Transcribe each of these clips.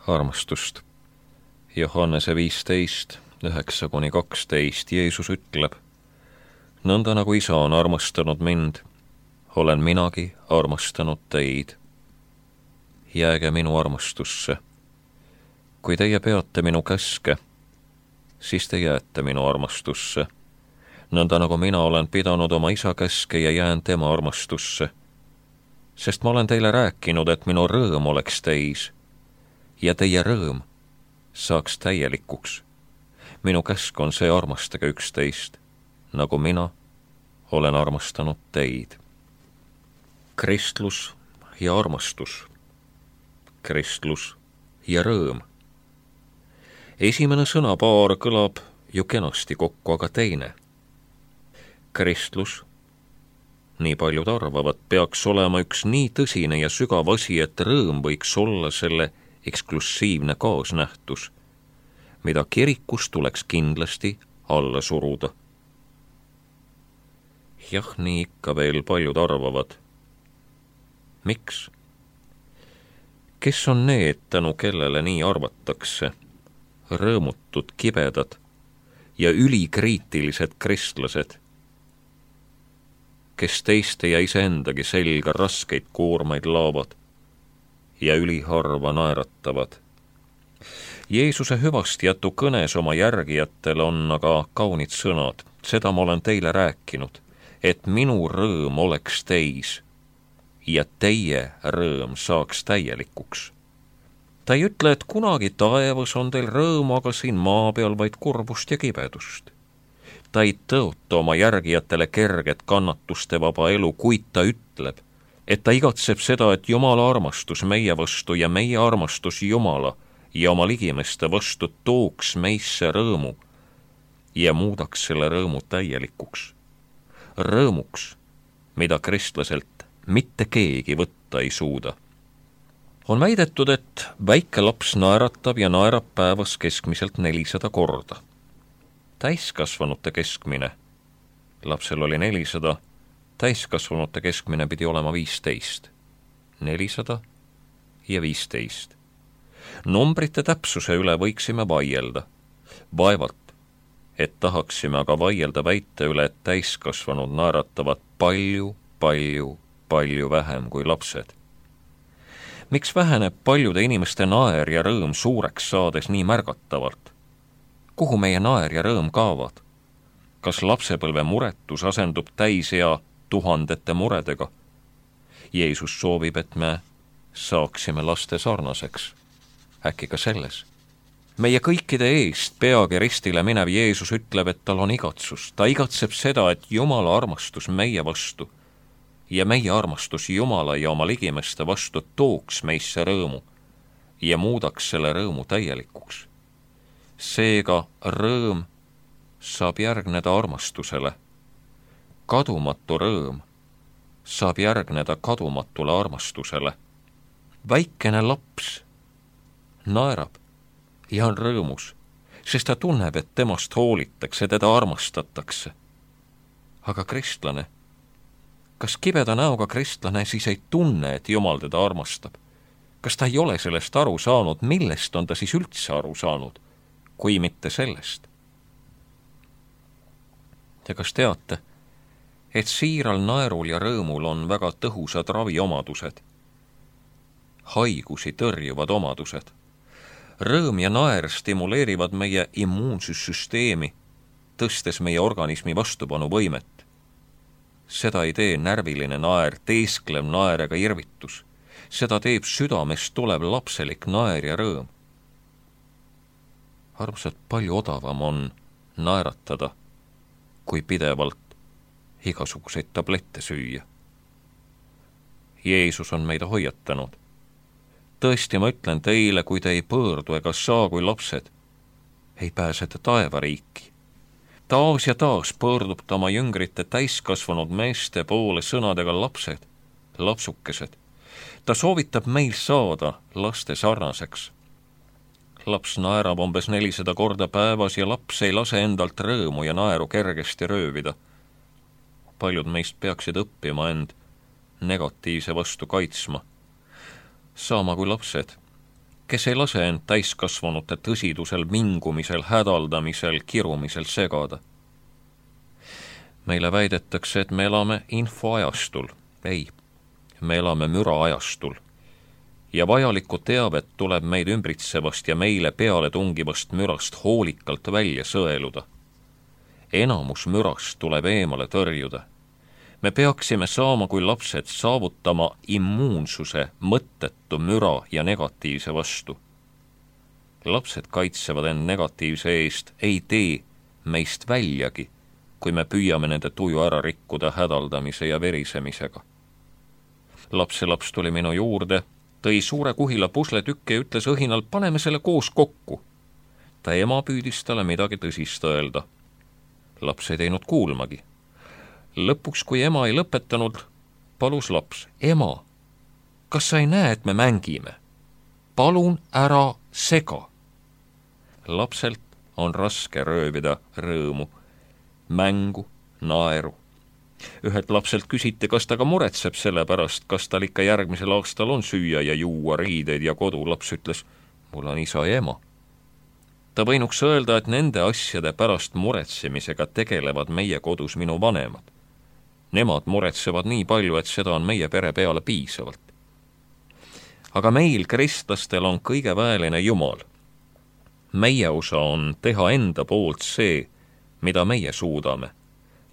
armastust. Johannese 15, 9-12 Jeesus ütleb: nõnda nagu Isa on armastanud mind, olen minagi armastanud teid. Jääge minu armastusse. Kui teie peate minu käske, siis te jääte minu armastusse. Nõnda nagu mina olen pidanud oma Isa käske ja jään tema armastusse. Sest ma olen teile rääkinud, et minu rõõm oleks teis ja teie rõõm saaks täielikuks. Minu käsk on see: armastage üksteist, nagu mina olen armastanud teid. Kristlus ja armastus. Kristlus ja rõõm. Esimene sõnapaar kõlab ju kenasti kokku, aga teine. Kristlus, nii paljud arvavad, peaks olema üks nii tõsine ja sügav asi, et rõõm võiks olla selle eksklusiivne kaasnähtus, mida kirikus tuleks kindlasti alla suruda. Jah, nii ikka veel paljud arvavad. Miks? Kes on need, tänu kellele nii arvatakse? Rõõmutud, kibedad ja ülikriitilised kristlased, kes teiste ja iseendagi selga raskeid koormaid laavad ja üliharva naeratavad. Jeesuse hüvastijätu kõnes oma järgijatele on aga kaunid sõnad. Seda ma olen teile rääkinud, et minu rõõm oleks teis ja teie rõõm saaks täielikuks. Ta ei ütle, et kunagi taevas on teil rõõm, aga siin maa peal vaid kurbust ja kibedust. Ta ei tõota oma järgijatele kerget kannatuste vaba elu, kuid ta ütleb, et ta igatseb seda, et Jumala armastus meie vastu ja meie armastus Jumala ja oma ligimeste vastu tooks meisse rõõmu ja muudaks selle rõõmu täielikuks. Rõõmuks, mida kristlaselt mitte keegi võtta ei suuda. On väidetud, et väike laps naeratab ja naerab päevas keskmiselt 400 korda. Täiskasvanute keskmine, lapsel oli 400, täiskasvanute keskmine pidi olema 15. 400 ja 15. Numbrite täpsuse üle võiksime vaielda. Vaevalt, et tahaksime aga vaielda väite üle, et täiskasvanud naeratavad palju vähem kui lapsed. Miks väheneb paljude inimeste naer ja rõõm suureks saades nii märgatavalt? Kuhu meie naer ja rõõm kaavad? Kas lapsepõlve muretus asendub täisea tuhandete muredega? Jeesus soovib, et me saaksime laste sarnaseks. Äkki ka selles. Meie kõikide eest peagi ristile minev Jeesus ütleb, et tal on igatsus. Ta igatseb seda, et Jumala armastus meie vastu ja meie armastus Jumala ja oma ligimeste vastu tooks meisse rõõmu ja muudaks selle rõõmu täielikuks. Seega rõõm saab järgneda armastusele. Kadumatu rõõm saab järgneda kadumatule armastusele. Väikene laps naerab ja on rõõmus, sest ta tunneb, et temast hoolitakse, teda armastatakse. Aga kristlane, kas kibeda näoga kristlane siis ei tunne, et Jumal teda armastab? Kas ta ei ole sellest aru saanud, millest on ta siis üldse aru saanud, kui mitte sellest? Ja kas teate, et siiral naerul ja rõõmul on väga tõhusad raviomadused, haigusi tõrjuvad omadused? Rõõm ja naer stimuleerivad meie immuunsussüsteemi, tõstes meie organismi vastupanuvõimet. Seda ei tee närviline naer, teesklev naer ega irvitus. Seda teeb südamest tulev lapselik naer ja rõõm. Armsad, palju odavam on naeratada, kui pidevalt igasuguseid tablette süüa. Jeesus on meid hoiatanud. Tõesti, ma ütlen teile, kui te ei pöördu ega saa kui lapsed, ei pääse te taevariiki. Taas ja taas pöördub ta oma jüngrite täiskasvanud meeste poole sõnadega lapsed, lapsukesed. Ta soovitab meil saada laste sarnaseks. Laps naerab umbes 400 korda päevas ja laps ei lase endalt rõõmu ja naeru kergesti röövida. Paljud meist peaksid õppima end negatiivse vastu kaitsma, saama kui lapsed, kes ei lase end täiskasvanute tõsidusel, mingumisel, hädaldamisel, kirumisel segada. Meile väidetakse, et me elame infoajastul. Ei, me elame müraajastul. Ja vajalikku teavet tuleb meid ümbritsevast ja meile peale tungivast mürast hoolikalt välja sõeluda. Enamus mürast tuleb eemale tõrjuda. Me peaksime saama kui lapsed saavutama immuunsuse mõttetu müra ja negatiivse vastu. Lapsed kaitsevad end negatiivse eest, ei tee meist väljagi, kui me püüame nende tuju ära rikkuda hädaldamise ja verisemisega. Lapselaps tuli minu juurde, tõi suure kuhila pusletükke ja ütles õhinal, paneme selle koos kokku. Ta ema püüdis talle midagi tõsist öelda. Laps ei teinud kuulmagi. Lõpuks, kui ema ei lõpetanud, palus laps, ema, kas sa ei näe, et me mängime? Palun ära sega. Lapselt on raske röövida rõõmu, mängu, naeru. Ühelt lapselt küsiti, kas ta ka muretseb selle pärast, kas tal ikka järgmisel aastal on süüa ja juua, riideid ja kodu. Laps ütles, mul on isa ja ema. Ta võinuks öelda, et nende asjade pärast muretsemisega tegelevad meie kodus minu vanemad. Nemad muretsevad nii palju, et seda on meie pere peale piisavalt. Aga meil, kristlastel, on kõige väeline Jumal. Meie osa on teha enda poolt see, mida meie suudame,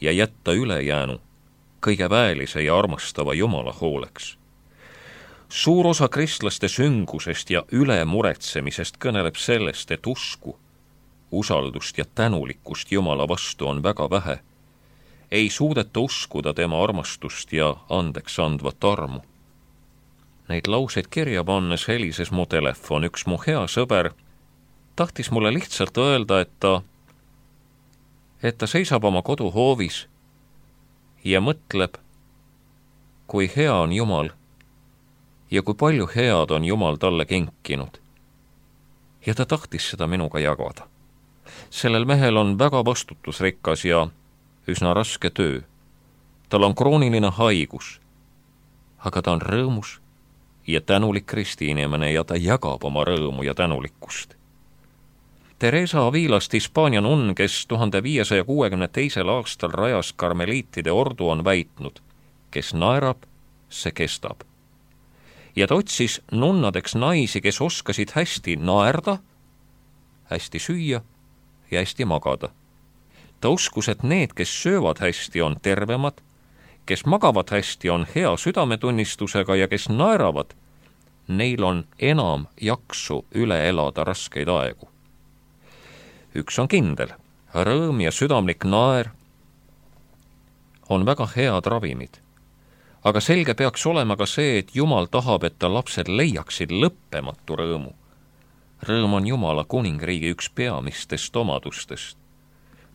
ja jätta ülejäänu kõige väelise ja armastava Jumala hooleks. Suur osa kristlaste süngusest ja ülemuretsemisest kõneleb sellest, et usku, usaldust ja tänulikkust Jumala vastu on väga vähe. Ei suudeta uskuda tema armastust ja andeks andvat armu. Neid lauseid kirja pannes helises mu telefon. Üks mu hea sõber tahtis mulle lihtsalt öelda, et ta seisab oma koduhoovis ja mõtleb, kui hea on Jumal ja kui palju head on Jumal talle kinkinud. Ja ta tahtis seda minuga jagada. Sellel mehel on väga vastutusrikas ja üsna raske töö. Tal on krooniline haigus, aga ta on rõõmus ja tänulik kristiinimene ja ta jagab oma rõõmu ja tänulikkust. Teresa Avilast, Hispaania nunn, kes 1562. aastal rajas karmeliitide ordu, on väitnud, kes naerab, see kestab. Ja ta otsis nunnadeks naisi, kes oskasid hästi naerda, hästi süüa ja hästi magada. Ta uskus, et need, kes söövad hästi, on tervemad, kes magavad hästi, on hea südametunnistusega ja kes naeravad, neil on enam jaksu üle elada raskeid aegu. Üks on kindel, rõõm ja südamlik naer on väga head ravimid. Aga selge peaks olema ka see, et Jumal tahab, et ta lapsed leiaksid lõppematu rõõmu. Rõõm on Jumala kuningriigi üks peamistest omadustest.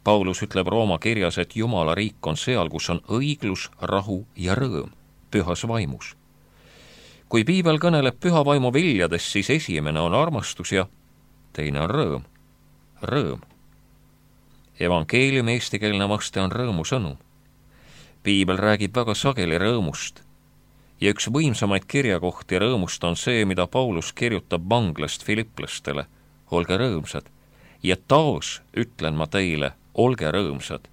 Paulus ütleb Rooma kirjas, et Jumala riik on seal, kus on õiglus, rahu ja rõõm, pühas vaimus. Kui piibel kõneleb püha vaimu viljadest, siis esimene on armastus ja teine on rõõm. Rõõm. Evangeeliumi eestikeelne vaste on rõõmusõnum. Piibel räägib väga sageli rõõmust ja üks võimsamaid kirjakohti rõõmust on see, mida Paulus kirjutab vanglast filiplastele. Olge rõõmsad ja taas ütlen ma teile, olge rõõmsad.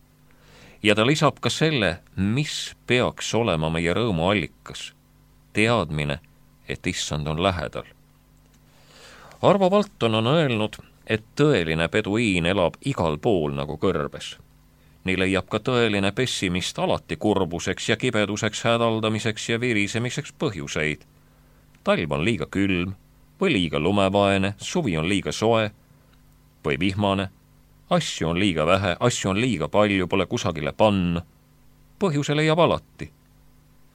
Ja ta lisab ka selle, mis peaks olema meie rõõmu allikas. Teadmine, et issand on lähedal. Arvo Valton on öelnud, et tõeline peduiin elab igal pool nagu kõrbes. Nii leiab ka tõeline pessimist alati kurbuseks ja kibeduseks, hädaldamiseks ja virisemiseks põhjuseid. Talv on liiga külm või liiga lumevaene, suvi on liiga soe või vihmane, asju on liiga vähe, asju on liiga palju, pole kusagile panna. Põhjuse leiab alati.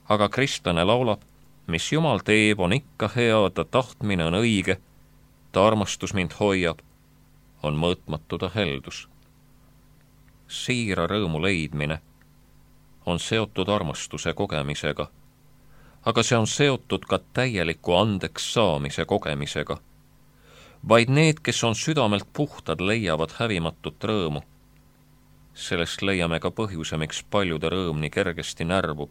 Aga kristlane laulab, mis Jumal teeb, on ikka hea, ta tahtmine on õige, ta armastus mind hoiab, on mõõtmatu ta heldus. Siira rõõmu leidmine on seotud armastuse kogemisega, aga see on seotud ka täieliku andeks saamise kogemisega. Vaid need, kes on südamelt puhtad, leiavad hävimatut rõõmu. Sellest leiame ka põhjuse, miks paljude rõõm nii kergesti närvub.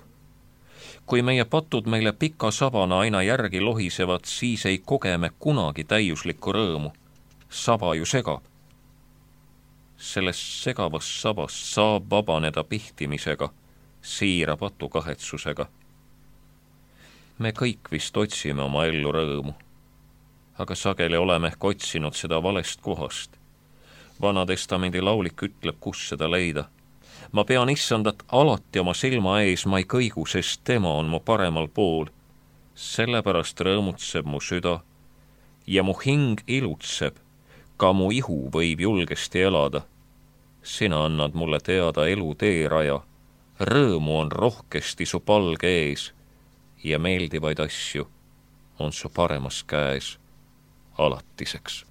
Kui meie patud meile pika sabana aina järgi lohisevad, siis ei koge me kunagi täiuslikku rõõmu. Saba ju segab. Sellest segavast sabast saab vabaneda pihtimisega, siira patukahetsusega. Me kõik vist otsime oma ellu rõõmu, aga sageli oleme ehk otsinud seda valest kohast. Vana Testamendi laulik ütleb, kus seda leida. Ma pean issandat alati oma silma ees, ma ei kõigu, sest tema on mu paremal pool. Sellepärast rõõmutseb mu süda ja mu hing ilutseb, ka mu ihu võib julgesti elada. Sina annad mulle teada elu teeraja, rõõmu on rohkesti su palge ees ja meeldivaid asju on su paremas käes alatiseks.